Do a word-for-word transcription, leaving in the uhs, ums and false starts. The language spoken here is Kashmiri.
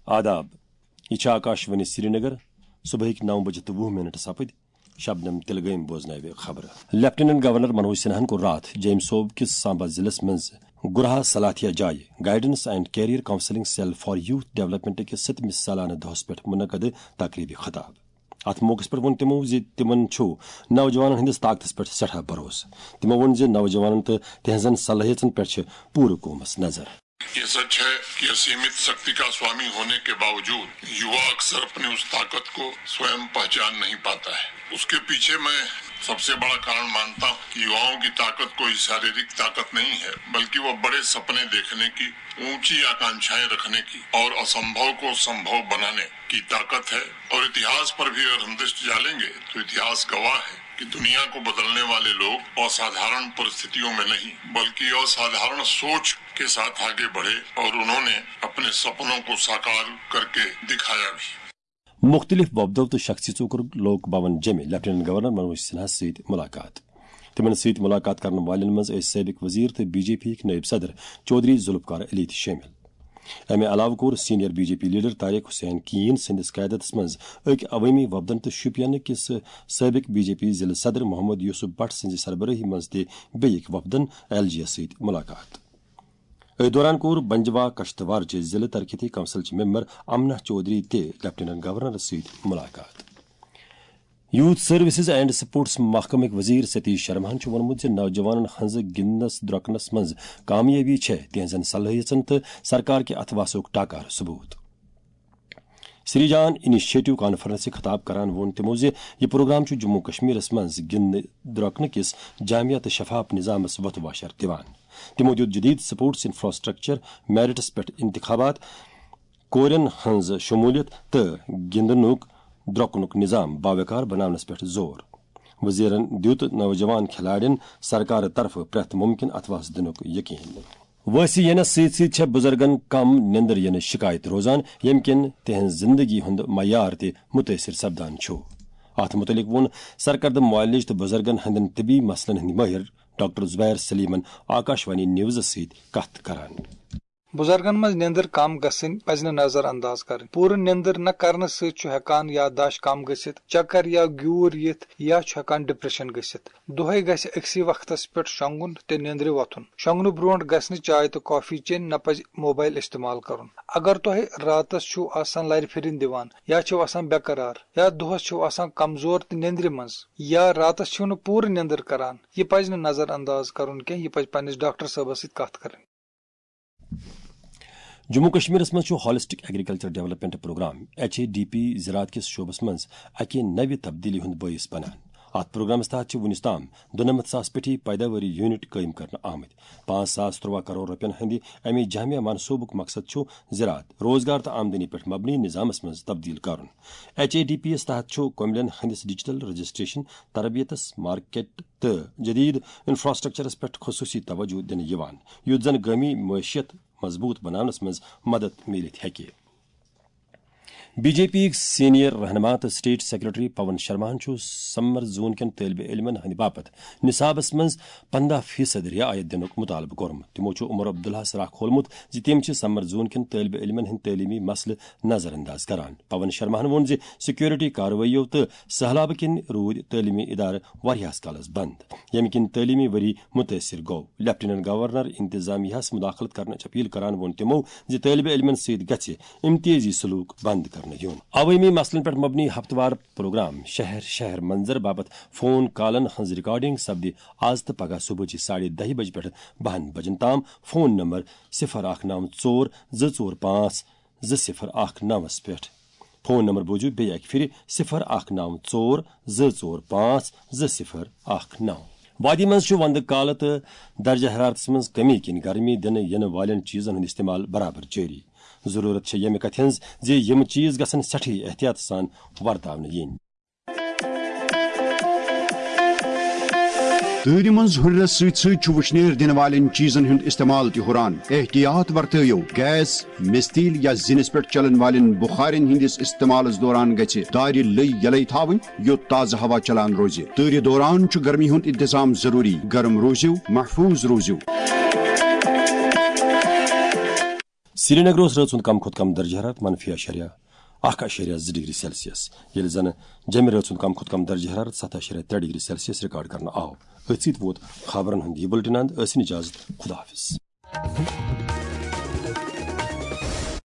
آداب، یہِ چھِ آکاش وانی سرینگر۔ صبحٕکۍ نو بجہِ تہٕ وُہ منٹ سپٕدۍ۔ شبنم تلگٲمۍ بوزناوِ خبرٕ۔ لیفٹیننٹ گورنر منوج سنہاہن کوٚر راتھ جیمۍ صوب کِس سامبا ضلعس منٛز گُرہا سلاتھیا جایہِ Guidance and Career Counselling Cell for Youth Development کِس ستمِس سالانہٕ دۄہس پٮ۪ٹھ منعقد تقریبہِ خطاب۔ اتھ موقعس پٮ۪ٹھ ووٚن تِمو زِ تِمن چھُ نوجوانن ہٕنٛدِس طاقتس پٮ۪ٹھ سٮ۪ٹھاہ بھروسہٕ۔ تِمو ووٚن زِ نوجوانن تہٕ تِہنٛزن صلٲحیژن پٮ۪ٹھ چھِ پوٗرٕ قومس نظر۔ ये सच है कि असीमित शक्ति का स्वामी होने के बावजूद युवा अक्सर अपनी उस ताकत को स्वयं पहचान नहीं पाता है। उसके पीछे मैं सबसे बड़ा कारण मानता हूँ कि युवाओं की ताकत कोई शारीरिक ताकत नहीं है, बल्कि वह बड़े सपने देखने की, ऊंची आकांक्षाएं रखने की और असंभव को संभव बनाने की ताकत है। और इतिहास पर भी अगर हम दृष्टि डालेंगे तो इतिहास गवाह है कि दुनिया को बदलने वाले लोग असाधारण परिस्थितियों में नहीं, बल्कि असाधारण सोच के साथ आगे बढ़े और उन्होंने अपने सपनों को साकार करके दिखाया भी। مُختٔلِف وۄپدو تہٕ شخصیژو کوٚر لوک بھون جیٚمہِ لیفٹیننٹ گورنر منوج سنہاہس سۭتۍ مُلاقات۔ تِمن سۭتۍ مُلاقات کرن والٮ۪ن منٛز ٲسۍ سٲبِق وزیر تہٕ بی جے پی ہٕکۍ نٲیِب صدر چودھری ذوالفقار علی تہِ شٲمِل۔ امہِ علاوٕ کوٚر senior B J P leader Tariq Hussain Keen سٕنٛدِس قیادتس منٛز أکۍ عوٲمی وفدن تہٕ شوپین کِس سٲبِق بی جے پی ضلعہٕ صدر محمد یوسف بٹ سٕنٛزِ سربرٲہی منٛز تہِ بیٚیہِ أکۍ وفدن ایل جی یس سۭتۍ مُلاقات۔ أتھۍ دوران کوٚر بنجوا کشتوار چہِ ضلعہٕ ترقیتی کونسل چہِ ممبر امنہ چودھری تہِ لیفٹیننٹ گورنرس سۭتۍ مُلاقات۔ یوتھ سروسز اینڈ سپورٹس محکمٕکۍ وزیر ستیش شرماہن چھُ ووٚنمُت زِ نوجوانن ہٕنٛز گِنٛدنس درۄکنس منٛز کامیٲبی چھےٚ تِہنٛزن صلٲحیژن تہٕ سرکار کہِ اتھواسُک ٹاکار ثبوت۔ سری جان انیشیٹو کانفرنسہِ خطاب کران ووٚن تِمو زِ یہِ پروگرام چھُ جموں کشمیرس منٛز گِنٛدنہٕ درۄکنہٕ کِس جامع تہٕ شفاف نظامس وۄتھٕ واشر دِوان۔ تِمو دیُت جدید سپورٹس انفراسٹرکچر، میرٹس پٮ۪ٹھ انتخابات، کورٮ۪ن ہٕنٛز شمولیت تہٕ گِنٛدنُک درۄکنُک نظام باوقار بناونس پٮ۪ٹھ زور۔ وزیرن دیُت نوجوان کھلاڑٮ۪ن سرکارٕ طرفہٕ پرٛٮ۪تھ ممکن اتھواس دِنُک یقین۔ وٲنٛسہِ ینس سۭتۍ سۭتۍ چھےٚ بُزرگن کم نیندر ینٕچ شکایت روزان، ییٚمہِ کِنۍ تِہنٛز زندگی ہُنٛد معیار تہِ مُتٲثر سپدان چھُ۔ اتھ مُتعلق ووٚن سرکردٕ معالج تہٕ بُزرگن ہٕنٛدٮ۪ن طبی مسلن ہٕنٛدۍ مٲہر ڈاکٹر زبیر سلیمن آکاشوانی نیوزس سۭتۍ کتھ کران۔ بُزرگن منٛز نیندر کم گژھٕنۍ پزِ نہٕ نظر انداز کرٕنۍ۔ پوٗرٕ نیندر نہ کرنہٕ سۭتۍ چھُ ہٮ۪کان یادداشت کم گٔژھِتھ، چکر یا گیوٗر یِتھ، یا چھُ ہٮ۪کان ڈپریشن گٔژھِتھ۔ دۄہے گژھِ أکسٕے وقتس پٮ۪ٹھ شۄنگُن تہٕ نیندرِ وۄتھُن۔ شۄنگنہٕ برونٹھ گژھِ نہٕ چاے تہٕ کافی چیٚنۍ، نہ پزِ موبایل استعمال کرُن۔ اگر تۄہہِ راتس چھِو آسان لرِ پھرِنۍ دِوان یا چھِو آسان بے قرار یا دۄہس چھِو آسان کمزور تہٕ نیندرِ منٛز یا راتس چھِو نہٕ پوٗرٕ نیندر کران، یہِ پزِ نہٕ نظر انداز کرُن کینٛہہ، یہِ پزِ پننِس ڈاکٹر صٲبس سۭتۍ کتھ کرٕنۍ۔ جموں کشمیرس منٛز چھُ holistic agriculture development programme, H A D P, زراعت کِس شعبس منٛز اکہِ نوِ تبدیلی ہُنٛد بٲعث بنان۔ اتھ پروگرامس تحت چھِ وُنیُس تام دُنمتھ ساس پیٹھی پیداواری یونٹ قٲیِم کرنہٕ آمٕتۍ۔ پانٛژھ ساس ترٛواہ کرور رۄپین ہٕنٛدِ امہِ جامع منصوبُک مقصد چھُ زراعت، روزگار تہٕ آمدنی پٮ۪ٹھ مبنی نظامس منٛز تبدیل کرُن۔ ایچ اے ڈی پی یس تحت چھُ کۄملین ہٕنٛدِس ڈیجیٹل رجسٹریشن، تربیتس، مارکیٹ تہٕ جدید انفراسٹرکچرس پٮ۪ٹھ خصوصی توجہ دِنہٕ یِوان، یُتھ زن گٲمی معیشت مضبوط بناونس منٛز مدد میٖلِتھ ہیٚکہِ۔ بی جے پی یِکۍ سینئر رہنما تہٕ سٹیٹ سیکرٹری پون شرماہن چھُ سمر زون کٮ۪ن طٲلبہِ علمن ہٕنٛدِ باپتھ نصابس منٛز پنٛداہ فیصد رعایت دِنُک مطالبہٕ کوٚرمُت۔ تِمو چھُ عمر عبداللہس راہ کھولمُت زِ تِم چھِ سمر زون کٮ۪ن طٲلبہِ علمن ہٕنٛدۍ تعلیمی مسلہٕ نظر انداز کران۔ پون شرماہن ووٚن زِ سیکورٹی کاروٲییو تہٕ سہلابہٕ کِنۍ روٗدۍ تعلیمی ادارٕ واریاہس کالس بند، ییٚمہِ کِنۍ تعلیمی ؤری مُتٲثر گوٚو۔ لیفٹیننٹ گورنر انتظامیہس مداخلت کرنٕچ اپیل کران ووٚن تِمو زِ طٲلبہِ علمن سۭتۍ گژھِ امتیازی سلوک بند کرنہٕ یُن۔ عوٲمی مسلن پٮ۪ٹھ مبنی ہفتہٕ وار پروگرام شہر شہر منظر باپتھ فون کالن ہٕنٛز ریکارڈنگ سپدِ از تہٕ پگاہ صبحٕچہِ ساڑِ دَہہِ بجہِ پٮ۪ٹھ بَہَن بجن تام فون نمبر صفر اکھ نو ژور زٕ ژور پانٛژھ زٕ صفر اکھ نوَس پٮ۪ٹھ۔ فون نمبر بوٗزِو بیٚیہِ اکہِ پھِرِ، صفر اکھ نو ژور زٕ ژور پانٛژھ زٕ صفر اکھ نو۔ وادی منٛز چھُ وندٕ کالہٕ تہٕ درجہ حرارتس منٛز کمی کِنۍ گرمی دِنہٕ یِنہٕ والٮ۪ن چیٖزن ہُنٛد استعمال برابر جٲری۔ ضروٗرت چھےٚ ییٚمہِ کتھِ ہٕنٛز زِ یِم چیٖز گژھن سٮ۪ٹھٕے احتیاط سان ورتاونہٕ یِنۍ۔ تۭرِ منٛز ہُرنس سۭتۍ سۭتۍ چھُ وُشنیر دِنہٕ والٮ۪ن چیٖزن ہُنٛد استعمال تہِ ہُران۔ احتیاط ورتٲیِو، گیس، مِستیٖل یا زِنِس پٮ۪ٹھ چلن والٮ۪ن بُخارٮ۪ن ہٕنٛدِس استعمالس دوران گژھِ دارِ لٔۍ یلے تھاوٕنۍ، یوٚت تازٕ ہوا چلان روزِ۔ تۭرِ دوران چھُ گرمی ہُنٛد انتظام ضروٗری۔ گرم روٗزِو، محفوٗظ روٗزِو۔ سرینگر اوس رٲژ ہُنٛد کم کھۄتہٕ کم درجہ حرارت منفی اَشاریہ اکھ اَشاریہ زٕ ڈگری سیلسیس، ییٚلہِ زن جیٚمہِ رٲژ ہُنٛد کم کھۄتہٕ کم درجہ حرارت ستھ اَشاریہ ترٛےٚ ڈگری سیلسیس ریکارڈ کرنہٕ آو۔ أتھۍ سۭتۍ ووت خبرن ہُنٛد یہِ بُلٹن اند۔ ٲسِن اجازت، خدا حافظ۔